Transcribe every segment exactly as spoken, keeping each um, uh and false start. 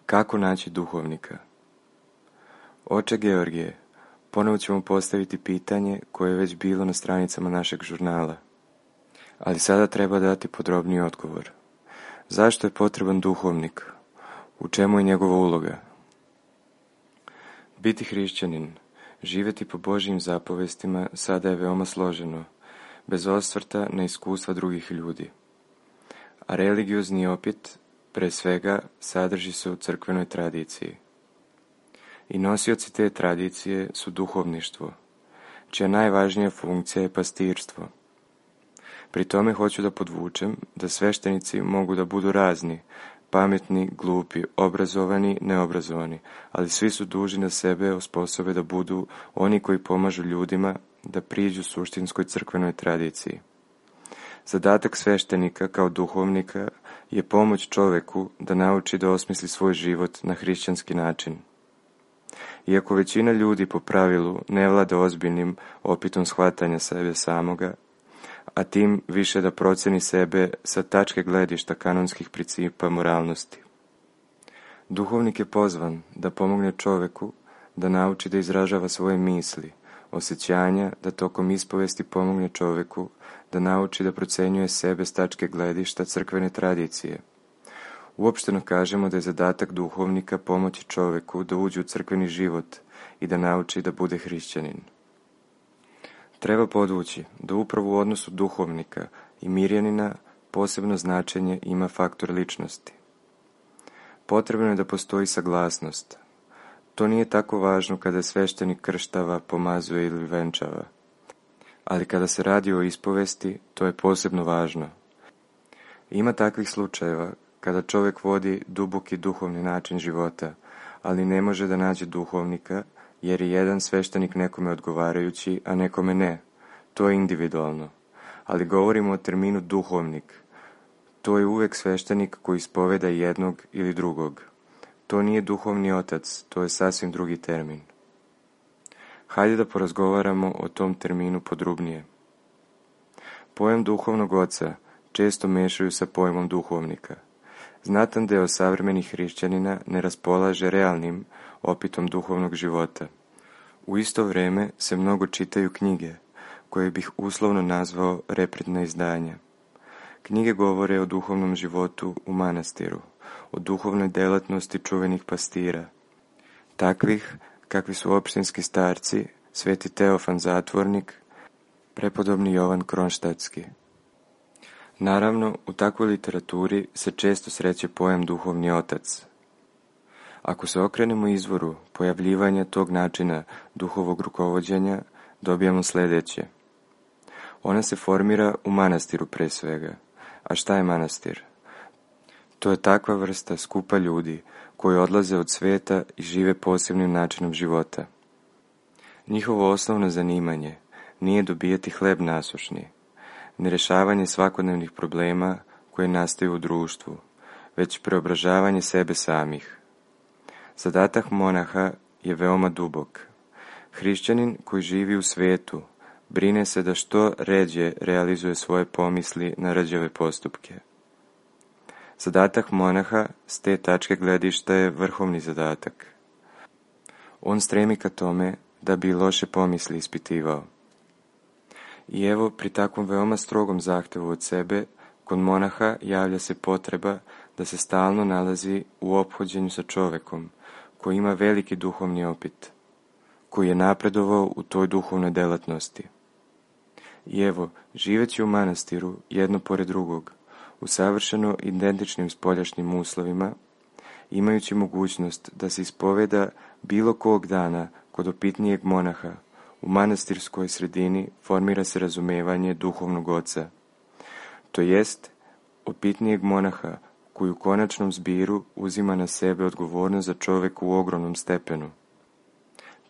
Kako naći duhovnika? Oče Georgije, ponovo ćemo postaviti pitanje koje je već bilo na stranicama našeg žurnala. Ali sada treba dati podrobniji odgovor. Zašto je potreban duhovnik? U čemu je njegova uloga? Biti hrišćanin, živjeti po Božjim zapovestima sada je veoma složeno, bez osvrta na iskustva drugih ljudi. A religiozni opet, pre svega, sadrži se u crkvenoj tradiciji. I nosioci te tradicije su duhovništvo, čija najvažnija funkcija je pastirstvo. Pri tome hoću da podvučem da sveštenici mogu da budu razni, pametni, glupi, obrazovani, neobrazovani, ali svi su dužni na sebe osposobe da budu oni koji pomažu ljudima da priđu suštinskoj crkvenoj tradiciji. Zadatak sveštenika kao duhovnika je pomoć čoveku da nauči da osmisli svoj život na hrišćanski način. Iako većina ljudi po pravilu ne vlada ozbiljnim opitom shvatanja sebe samoga, a tim više da proceni sebe sa tačke gledišta kanonskih principa moralnosti. Duhovnik je pozvan da pomogne čoveku da nauči da izražava svoje misli, osjećanja, da tokom ispovesti pomogne čoveku da nauči da procenjuje sebe s tačke gledišta crkvene tradicije. Uopšteno kažemo da je zadatak duhovnika pomoći čoveku da uđe u crkveni život i da nauči da bude hrišćanin. Treba podvući da upravo u odnosu duhovnika i mirjanina posebno značenje ima faktor ličnosti. Potrebno je da postoji saglasnost. To nije tako važno kada sveštenik krštava, pomazuje ili venčava. Ali kada se radi o ispovesti, to je posebno važno. Ima takvih slučajeva kada čovjek vodi duboki duhovni način života, ali ne može da nađe duhovnika, jer je jedan sveštenik nekome odgovarajući, a nekome ne. To je individualno. Ali govorimo o terminu duhovnik. To je uvek sveštenik koji ispoveda jednog ili drugog. To nije duhovni otac, to je sasvim drugi termin. Hajde da porazgovaramo o tom terminu podrobnije. Pojam duhovnog oca često mešaju sa pojmom duhovnika. Znatan deo savremenih hrišćanina ne raspolaže realnim opitom duhovnog života. U isto vreme se mnogo čitaju knjige, koje bih uslovno nazvao repridna izdanja. Knjige govore o duhovnom životu u manastiru, o duhovnoj delatnosti čuvenih pastira, takvih kakvi su opštinski starci, sveti Teofan Zatvornik, prepodobni Jovan Kronštatski. Naravno, u takvoj literaturi se često sreće pojam duhovni otac. Ako se okrenemo izvoru pojavljivanja tog načina duhovog rukovođenja, dobijamo sljedeće. Ona se formira u manastiru pre svega. A šta je manastir? To je takva vrsta skupa ljudi koji odlaze od sveta i žive posebnim načinom života. Njihovo osnovno zanimanje nije dobijati hleb nasušni, ne rešavanje svakodnevnih problema koje nastaju u društvu, već preobražavanje sebe samih. Zadatak monaha je veoma dubok. Hrišćanin koji živi u svetu brine se da što ređe realizuje svoje pomisli na rđave postupke. Zadatak monaha s te tačke gledišta je vrhovni zadatak. On stremi ka tome da bi loše pomisli ispitivao. I evo, pri takvom veoma strogom zahtevu od sebe, kod monaha javlja se potreba da se stalno nalazi u ophođenju sa čovekom, koji ima veliki duhovni opit, koji je napredovao u toj duhovnoj delatnosti. I evo, živeći u manastiru, jedno pored drugog, u savršeno identičnim spoljašnjim uslovima, imajući mogućnost da se ispoveda bilo kog dana kod opitnijeg monaha, u manastirskoj sredini formira se razumevanje duhovnog oca, to jest opitnijeg monaha koji u konačnom zbiru uzima na sebe odgovornost za čoveka u ogromnom stepenu.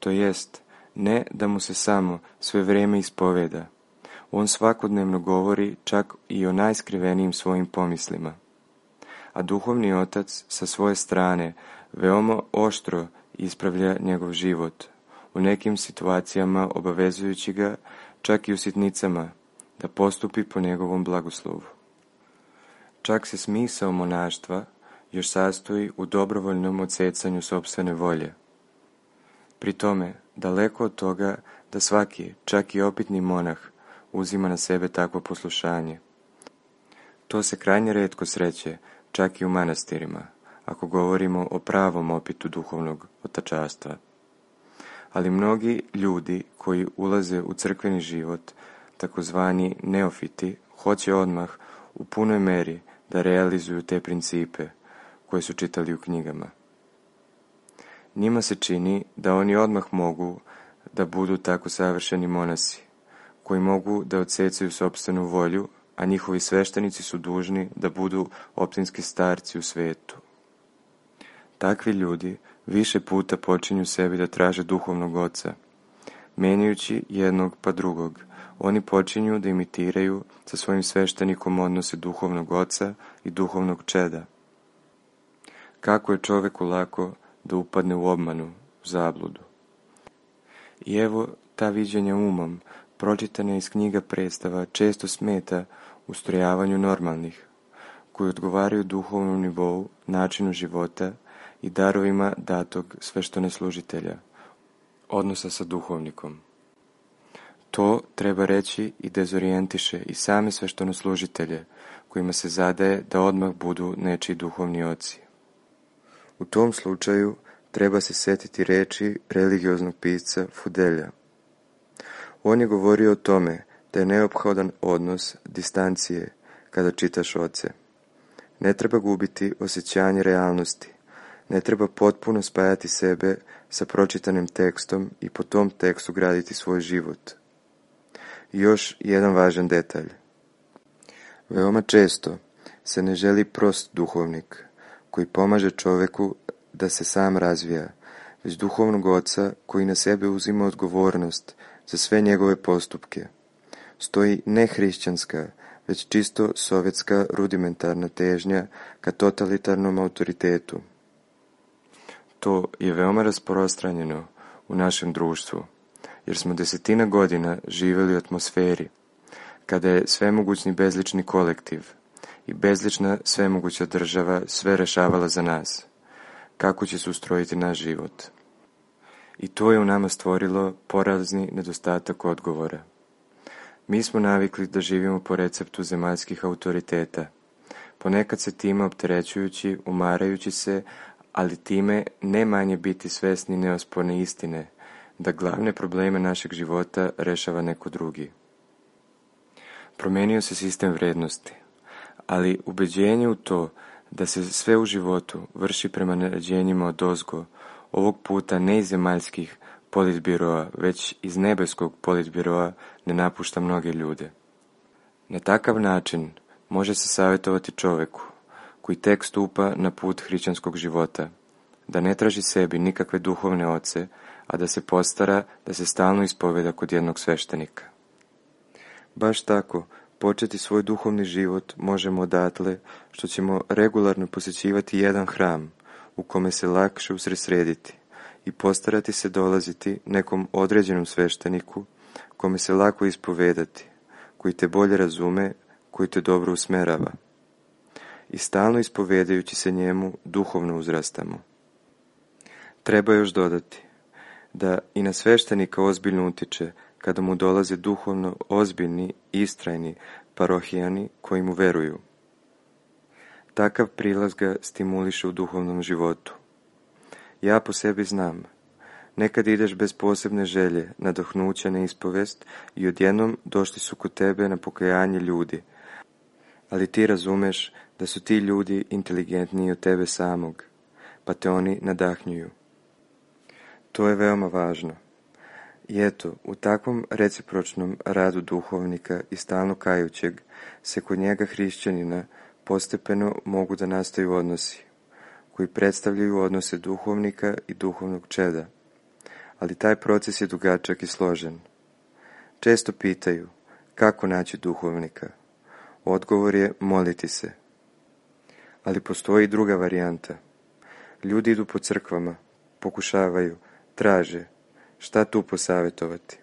To jest, ne da mu se samo sve vreme ispoveda, on svakodnevno govori čak i o najskrivenijim svojim pomislima. A duhovni otac sa svoje strane veoma oštro ispravlja njegov život, u nekim situacijama obavezujući ga čak i u sitnicama da postupi po njegovom blagoslovu. Čak se smisao monaštva još sastoji u dobrovoljnom odsecanju sopstvene volje. Pri tome, daleko od toga da svaki, čak i opitni monah, uzima na sebe takvo poslušanje. To se krajnje retko sreće, čak i u manastirima, ako govorimo o pravom opitu duhovnog otačastva. Ali mnogi ljudi koji ulaze u crkveni život, takozvani neofiti, hoće odmah u punoj meri da realizuju te principe koje su čitali u knjigama. Njima se čini da oni odmah mogu da budu tako savršeni monasi, koji mogu da odsecaju sopstvenu volju, a njihovi sveštenici su dužni da budu optinski starci u svetu. Takvi ljudi više puta počinju sebi da traže duhovnog oca. Menjajući jednog pa drugog, oni počinju da imitiraju sa svojim sveštenikom odnose duhovnog oca i duhovnog čeda. Kako je čoveku lako da upadne u obmanu, u zabludu. I evo ta viđenja umom, pročitana iz knjiga predstava, često smeta ustrojavanju normalnih, koji odgovaraju duhovnom nivou, načinu života i darovima datog sveštenoslužitelja, odnosa sa duhovnikom. To treba reći i dezorijentiše i same sveštenoslužitelje, kojima se zadaje da odmah budu nečiji duhovni oci. U tom slučaju treba se setiti reči religioznog pisca Fudelja. On je govorio o tome da je neophodan odnos distancije kada čitaš oce. Ne treba gubiti osjećanje realnosti, ne treba potpuno spajati sebe sa pročitanim tekstom i po tom tekstu graditi svoj život. I još jedan važan detalj. Veoma često se ne želi prost duhovnik koji pomaže čoveku da se sam razvija, već duhovnog oca koji na sebe uzima odgovornost za sve njegove postupke. Stoji ne hrišćanska, već čisto sovjetska rudimentarna težnja ka totalitarnom autoritetu. To je veoma rasprostranjeno u našem društvu, jer smo desetina godina živjeli u atmosferi, kada je svemogućni bezlični kolektiv i bezlična svemoguća država sve rešavala za nas, kako će se ustrojiti naš život. I to je u nama stvorilo porazni nedostatak odgovora. Mi smo navikli da živimo po receptu zemaljskih autoriteta, ponekad se time opterećujući, umarajući se, ali time ne manje biti svesni neosporne istine, da glavne probleme našeg života rešava neko drugi. Promenio se sistem vrednosti, ali ubeđenje u to da se sve u životu vrši prema naređenjima odozgo, ovog puta ne iz zemaljskih politbiroa, već iz nebeskog politbiroa ne napušta mnoge ljude. Na takav način može se savjetovati čoveku, koji tek stupa na put hrišćanskog života, da ne traži sebi nikakve duhovne oce, a da se postara da se stalno ispoveda kod jednog sveštenika. Baš tako, početi svoj duhovni život možemo odatle što ćemo regularno posjećivati jedan hram u kome se lakše usredsrediti i postarati se dolaziti nekom određenom svešteniku kome se lako ispovedati, koji te bolje razume, koji te dobro usmerava. I stalno ispovedajući se njemu duhovno uzrastamo. Treba još dodati da i na sveštenika ozbiljno utiče kada mu dolaze duhovno ozbiljni, istrajni parohijani koji mu veruju. Takav prilaz ga stimuliše u duhovnom životu. Ja po sebi znam, nekad ideš bez posebne želje, nadahnuća na ispovest i odjednom došli su kod tebe na pokajanje ljudi, ali ti razumeš da su ti ljudi inteligentniji od tebe samog, pa te oni nadahnjuju. To je veoma važno. I eto, u takvom recipročnom radu duhovnika i stalno kajućeg se kod njega hrišćanina postepeno mogu da nastaju odnosi, koji predstavljaju odnose duhovnika i duhovnog čeda. Ali taj proces je dugačak i složen. Često pitaju, kako naći duhovnika? Odgovor je moliti se. Ali postoji i druga varijanta. Ljudi idu po crkvama, pokušavaju, traže, šta tu posavjetovati?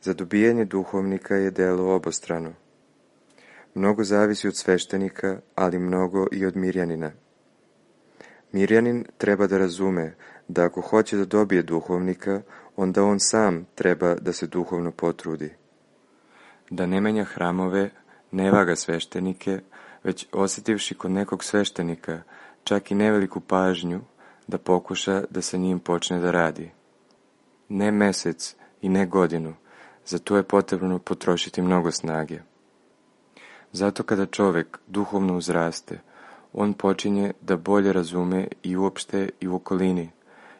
Za dobijanje duhovnika je delo obostrano. Mnogo zavisi od sveštenika, ali mnogo i od mirjanina. Mirjanin treba da razume da ako hoće da dobije duhovnika, onda on sam treba da se duhovno potrudi. Da ne menja hramove, ne vaga sveštenike, već osjetivši kod nekog sveštenika čak i neveliku pažnju, da pokuša da sa njim počne da radi. Ne mesec i ne godinu, za to je potrebno potrošiti mnogo snage. Zato kada čovek duhovno uzraste, on počinje da bolje razume i uopšte i u okolini,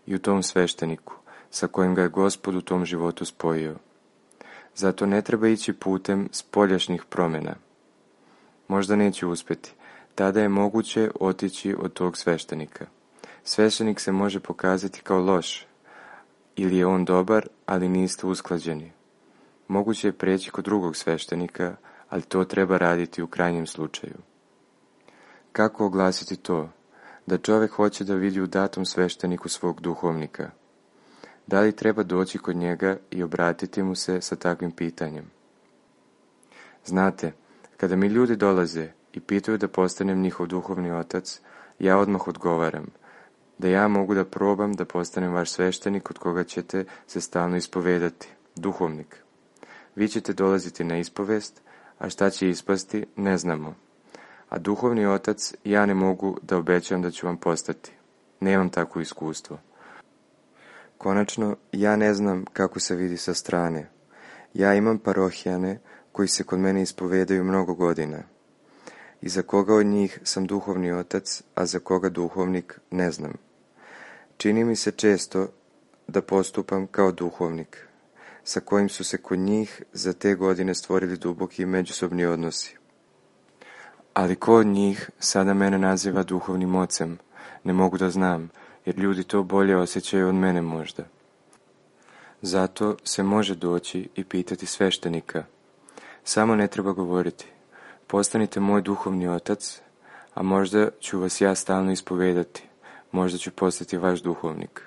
i u tom svešteniku, sa kojim ga je Gospod u tom životu spojio. Zato ne treba ići putem spoljašnjih promjena. Možda neće uspeti, tada je moguće otići od tog sveštenika. Sveštenik se može pokazati kao loš, ili je on dobar, ali niste usklađeni. Moguće je preći kod drugog sveštenika, ali to treba raditi u krajnjem slučaju. Kako oglasiti to? Da čovjek hoće da vidi u datom svešteniku svog duhovnika. Da li treba doći kod njega i obratiti mu se sa takvim pitanjem? Znate, kada mi ljudi dolaze i pitaju da postanem njihov duhovni otac, ja odmah odgovaram da ja mogu da probam da postanem vaš sveštenik od koga ćete se stalno ispovedati, duhovnik. Vi ćete dolaziti na ispovest, a šta će ispasti, ne znamo. A duhovni otac ja ne mogu da obećam da ću vam postati. Nemam takvo iskustvo. Konačno, ja ne znam kako se vidi sa strane. Ja imam parohijane koji se kod mene ispovedaju mnogo godina. I za koga od njih sam duhovni otac, a za koga duhovnik, ne znam. Čini mi se često da postupam kao duhovnik, sa kojim su se kod njih za te godine stvorili duboki međusobni odnosi. Ali ko od njih sada mene naziva duhovnim ocem, ne mogu da znam, jer ljudi to bolje osjećaju od mene možda. Zato se može doći i pitati sveštenika. Samo ne treba govoriti, postanite moj duhovni otac, a možda ću vas ja stalno ispovedati, možda ću postati vaš duhovnik.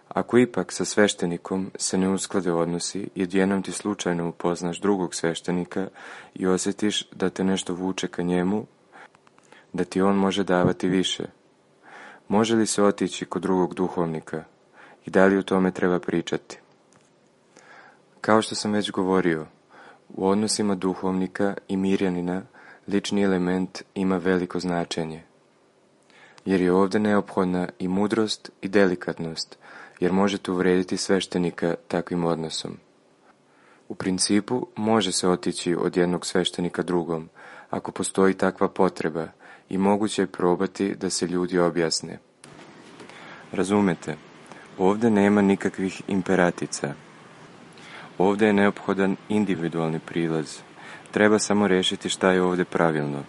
Ako ipak sa sveštenikom se ne usklade odnosi i odjednom ti slučajno upoznaš drugog sveštenika i osjetiš da te nešto vuče ka njemu, da ti on može davati više, može li se otići kod drugog duhovnika i da li o tome treba pričati? Kao što sam već govorio, u odnosima duhovnika i mirjanina lični element ima veliko značenje, jer je ovdje neophodna i mudrost i delikatnost, jer možete uvrediti sveštenika takvim odnosom. U principu može se otići od jednog sveštenika drugom, ako postoji takva potreba, i moguće je probati da se ljudi objasne. Razumete, ovdje nema nikakvih imperatica. Ovdje je neophodan individualni prilaz. Treba samo rešiti šta je ovdje pravilno.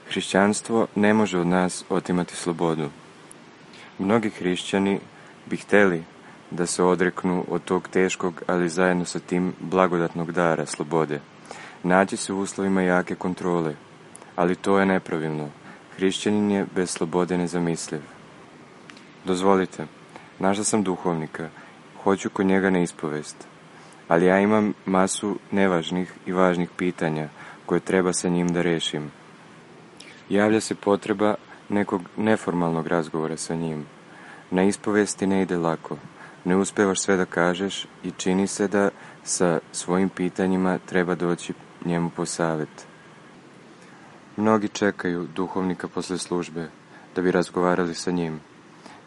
Hrišćanstvo ne može od nas otimati slobodu. Mnogi hrišćani bi hteli da se odreknu od tog teškog, ali zajedno sa tim blagodatnog dara slobode. Naći se u uslovima jake kontrole, ali to je nepravilno. Hrišćanin je bez slobode nezamisliv. Dozvolite, našla sam duhovnika, hoću kod njega na ispovest, ali ja imam masu nevažnih i važnih pitanja koje treba sa njim da rešim. Javlja se potreba nekog neformalnog razgovora sa njim. Na ispovesti ne ide lako, ne uspevaš sve da kažeš i čini se da sa svojim pitanjima treba doći njemu po savet. Mnogi čekaju duhovnika posle službe da bi razgovarali sa njim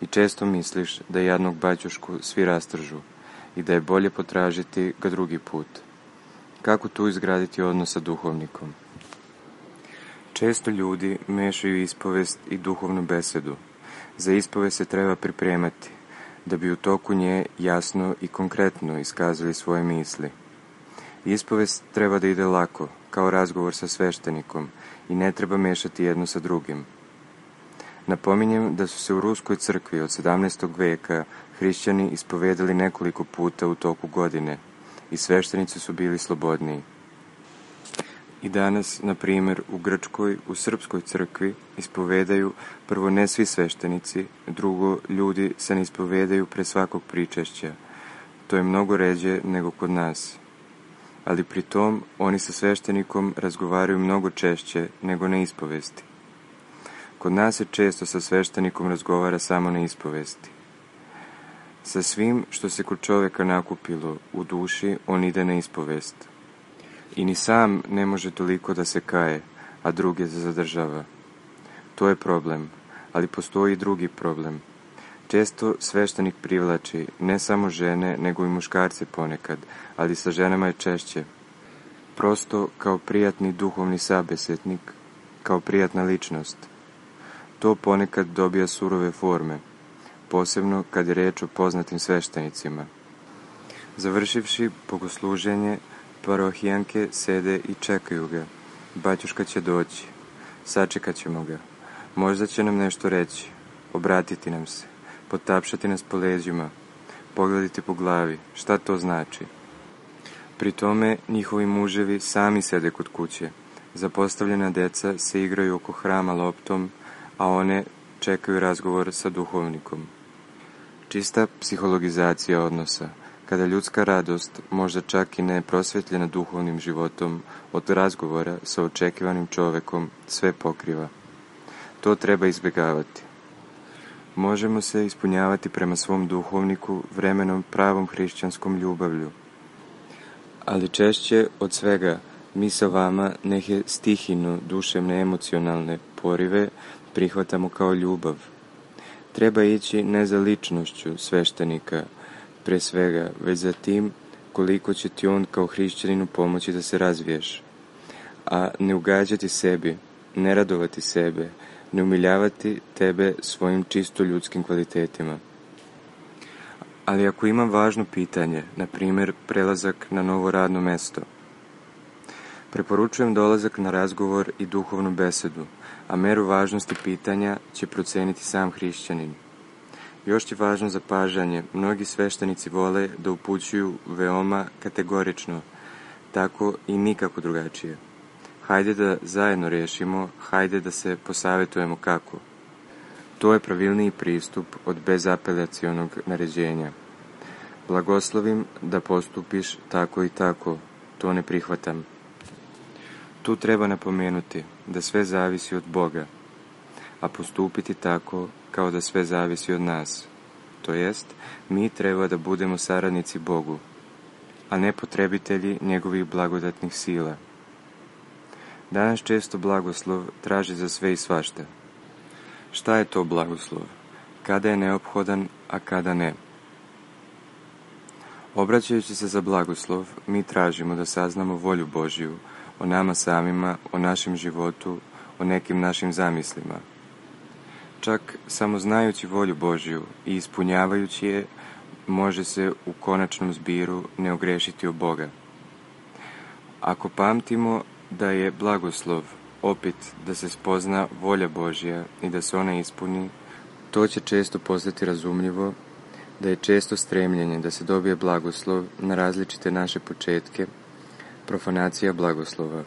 i često misliš da jadnog baćušku svi rastržu i da je bolje potražiti ga drugi put. Kako tu izgraditi odnos sa duhovnikom? Često ljudi mešaju ispovest i duhovnu besedu. Za ispovest se treba pripremati, da bi u toku nje jasno i konkretno iskazali svoje misli. Ispovest treba da ide lako, kao razgovor sa sveštenikom, i ne treba mešati jedno sa drugim. Napominjem da su se u Ruskoj crkvi od sedamnaestog veka hrišćani ispovedali nekoliko puta u toku godine i sveštenici su bili slobodniji. I danas, na primjer, u Grčkoj, u Srpskoj crkvi ispovedaju prvo ne svi sveštenici, drugo ljudi se ne ispovedaju pre svakog pričešća. To je mnogo ređe nego kod nas. Ali pri tom oni sa sveštenikom razgovaraju mnogo češće nego na ispovesti. Kod nas se često sa sveštenikom razgovara samo na ispovesti. Sa svim što se kod čovjeka nakupilo u duši, on ide na ispovest. I ni sam ne može toliko da se kaje, a druge zadržava. To je problem, ali postoji i drugi problem. Često sveštenik privlači ne samo žene, nego i muškarce ponekad, ali sa ženama je češće. Prosto kao prijatni duhovni sabesetnik, kao prijatna ličnost. To ponekad dobija surove forme, posebno kad je reč o poznatim sveštenicima. Završivši bogosluženje, parohijanke sede i čekaju ga. Baćuška će doći, sačekat ćemo ga. Možda će nam nešto reći, obratiti nam se, potapšati nas po leđima, pogledati po glavi, šta to znači. Pri tome njihovi muževi sami sede kod kuće. Zapostavljena deca se igraju oko hrama loptom, a one čekaju razgovor sa duhovnikom. Čista psihologizacija odnosa, kada ljudska radost, možda čak i ne prosvetljena duhovnim životom, od razgovora sa očekivanim čovekom sve pokriva. To treba izbjegavati. Možemo se ispunjavati prema svom duhovniku vremenom pravom hrišćanskom ljubavlju. Ali češće od svega mi sa vama neke stihino duševne emocionalne porive prihvatamo kao ljubav. Treba ići ne za ličnošću sveštenika, pre svega, već za tim koliko će ti on kao hrišćaninu pomoći da se razviješ. A ne ugađati sebi, ne radovati sebe, ne umiljavati tebe svojim čisto ljudskim kvalitetima. Ali ako imam važno pitanje, na primjer prelazak na novo radno mesto, preporučujem dolazak na razgovor i duhovnu besedu, a meru važnosti pitanja će proceniti sam hrišćanin. Još je važno zapažanje, mnogi sveštenici vole da upućuju veoma kategorično, tako i nikako drugačije. Hajde da zajedno rešimo, hajde da se posavetujemo kako. To je pravilniji pristup od bezapelacionog naređenja. Blagoslovim da postupiš tako i tako, to ne prihvatam. Tu treba napomenuti da sve zavisi od Boga, a postupiti tako kao da sve zavisi od nas. To jest, mi treba da budemo saradnici Bogu, a ne potrebitelji njegovih blagodatnih sila. Danas često blagoslov traži za sve i svašta. Šta je to blagoslov? Kada je neophodan, a kada ne? Obraćajući se za blagoslov, mi tražimo da saznamo volju Božju o nama samima, o našem životu, o nekim našim zamislima. Čak samo znajući volju Božju i ispunjavajući je, može se u konačnom zbiru ne ogrešiti o Boga. Ako pamtimo da je blagoslov opet da se spozna volja Božja i da se ona ispuni, to će često postati razumljivo, da je često stremljenje da se dobije blagoslov na različite naše početke, profanacija blagoslova.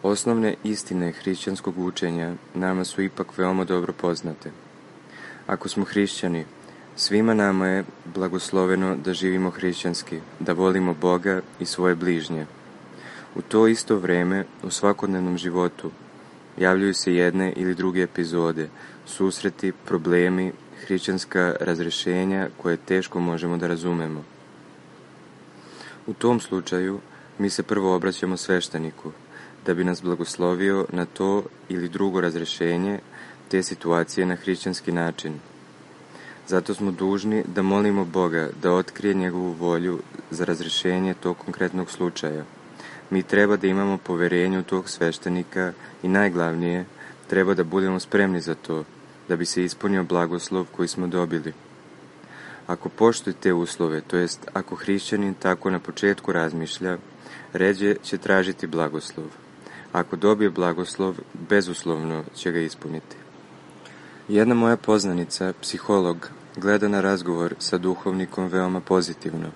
Osnovne istine hrišćanskog učenja nama su ipak veoma dobro poznate. Ako smo hrišćani, svima nama je blagosloveno da živimo hrišćanski, da volimo Boga i svoje bližnje. U to isto vreme, u svakodnevnom životu, javljaju se jedne ili druge epizode, susreti, problemi, hrišćanska razrešenja koje teško možemo da razumemo. U tom slučaju, mi se prvo obraćamo svešteniku, da bi nas blagoslovio na to ili drugo razrešenje te situacije na hrišćanski način. Zato smo dužni da molimo Boga da otkrije njegovu volju za razrešenje tog konkretnog slučaja. Mi treba da imamo poverenje u tog sveštenika i najglavnije, treba da budemo spremni za to, da bi se ispunio blagoslov koji smo dobili. Ako poštuje te uslove, to jest ako hrišćanin tako na početku razmišlja, ređe će tražiti blagoslov. Ako dobije blagoslov, bezuslovno će ga ispuniti. Jedna moja poznanica, psiholog, gleda na razgovor sa duhovnikom veoma pozitivno,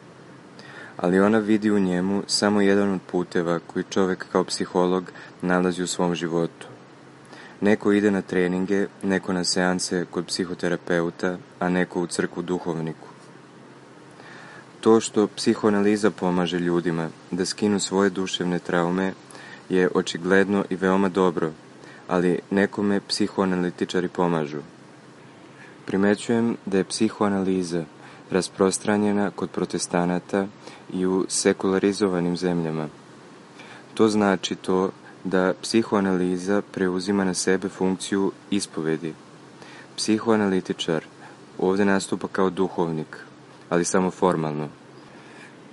ali ona vidi u njemu samo jedan od puteva koji čovjek kao psiholog nalazi u svom životu. Neko ide na treninge, neko na seanse kod psihoterapeuta, a neko u crkvu duhovniku. To što psihoanaliza pomaže ljudima da skinu svoje duševne traume je očigledno i veoma dobro, ali nekome psihoanalitičari pomažu. Primećujem da je psihoanaliza rasprostranjena kod protestanata i u sekularizovanim zemljama. To znači to da psihoanaliza preuzima na sebe funkciju ispovedi. Psihoanalitičar ovdje nastupa kao duhovnik, ali samo formalno.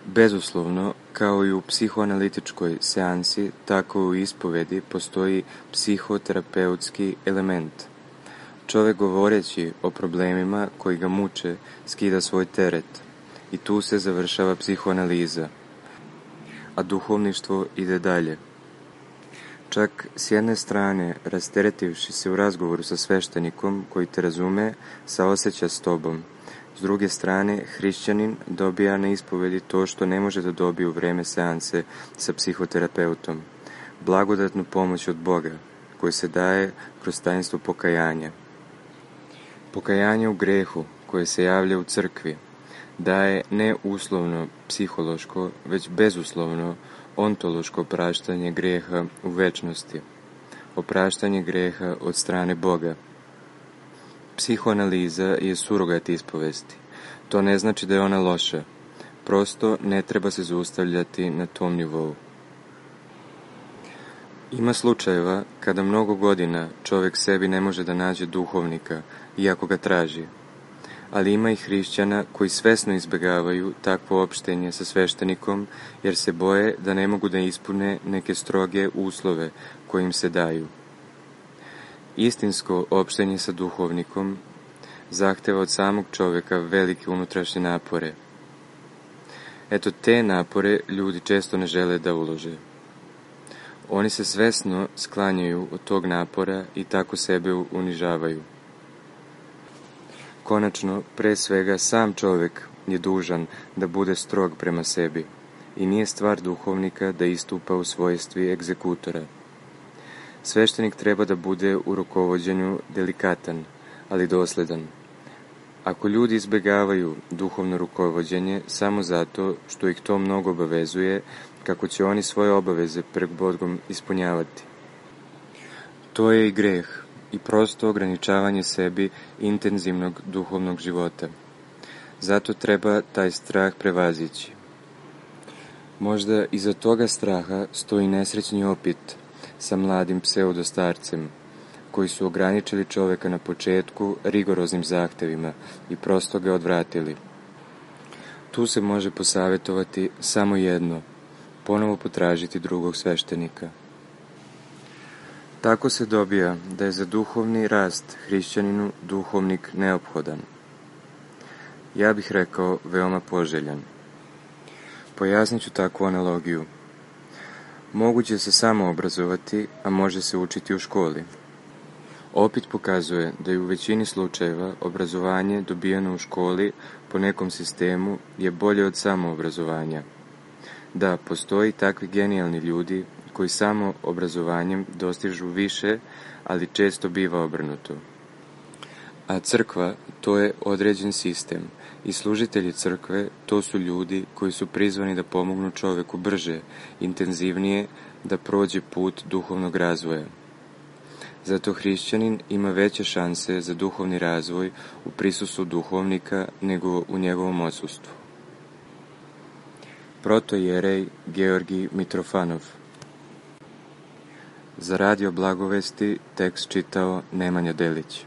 Bezuslovno, kao i u psihoanalitičkoj seansi, tako i u ispovedi postoji psihoterapeutski element. Čovjek govoreći o problemima koji ga muče skida svoj teret i tu se završava psihoanaliza, a duhovništvo ide dalje. Čak s jedne strane, rasteretivši se u razgovoru sa sveštenikom koji te razume, saoseća s tobom. S druge strane, hrišćanin dobija na ispovedi to što ne može da dobije u vreme seanse sa psihoterapeutom. Blagodatnu pomoć od Boga, koju se daje kroz tajnstvo pokajanja. Pokajanje u grehu, koje se javlja u crkvi, daje ne uslovno psihološko, već bezuslovno ontološko opraštanje greha u večnosti, opraštanje greha od strane Boga. Psihoanaliza je surogat ispovesti. To ne znači da je ona loša, prosto ne treba se zaustavljati na tom nivou. Ima slučajeva kada mnogo godina čovjek sebi ne može da nađe duhovnika, iako ga traži. Ali ima i hrišćana koji svesno izbjegavaju takvo opštenje sa sveštenikom, jer se boje da ne mogu da ispune neke stroge uslove koje im se daju. Istinsko opštenje sa duhovnikom zahteva od samog čovjeka velike unutrašnje napore. Eto, te napore ljudi često ne žele da ulože. Oni se svesno sklanjaju od tog napora i tako sebe unižavaju. Konačno, pre svega, sam čovjek je dužan da bude strog prema sebi i nije stvar duhovnika da istupa u svojstvi egzekutora. Sveštenik treba da bude u rukovođenju delikatan, ali dosledan. Ako ljudi izbjegavaju duhovno rukovođenje samo zato što ih to mnogo obavezuje, kako će oni svoje obaveze pred Bogom ispunjavati. To je i greh i prosto ograničavanje sebi intenzivnog duhovnog života. Zato treba taj strah prevazići. Možda iza toga straha stoji nesrećni opit sa mladim pseudostarcem, koji su ograničili čovjeka na početku rigoroznim zahtevima i prosto ga odvratili. Tu se može posavjetovati samo jedno, ponovo potražiti drugog sveštenika. Tako se dobija da je za duhovni rast hrišćaninu duhovnik neophodan. Ja bih rekao veoma poželjan. Pojasnit ću takvu analogiju. Moguće se samo obrazovati, a može se učiti u školi. Opit pokazuje da je u većini slučajeva obrazovanje dobijeno u školi po nekom sistemu je bolje od samoobrazovanja. Da, postoji takvi genijalni ljudi koji samo obrazovanjem dostižu više, ali često biva obrnuto. A crkva, to je određen sistem i služitelji crkve, to su ljudi koji su prizvani da pomognu čovjeku brže, intenzivnije, da prođe put duhovnog razvoja. Zato hrišćanin ima veće šanse za duhovni razvoj u prisustvu duhovnika nego u njegovom odsustvu. Protojerej Georgij Mitrofanov. Za Radio Blagovesti tekst čitao Nemanja Delić.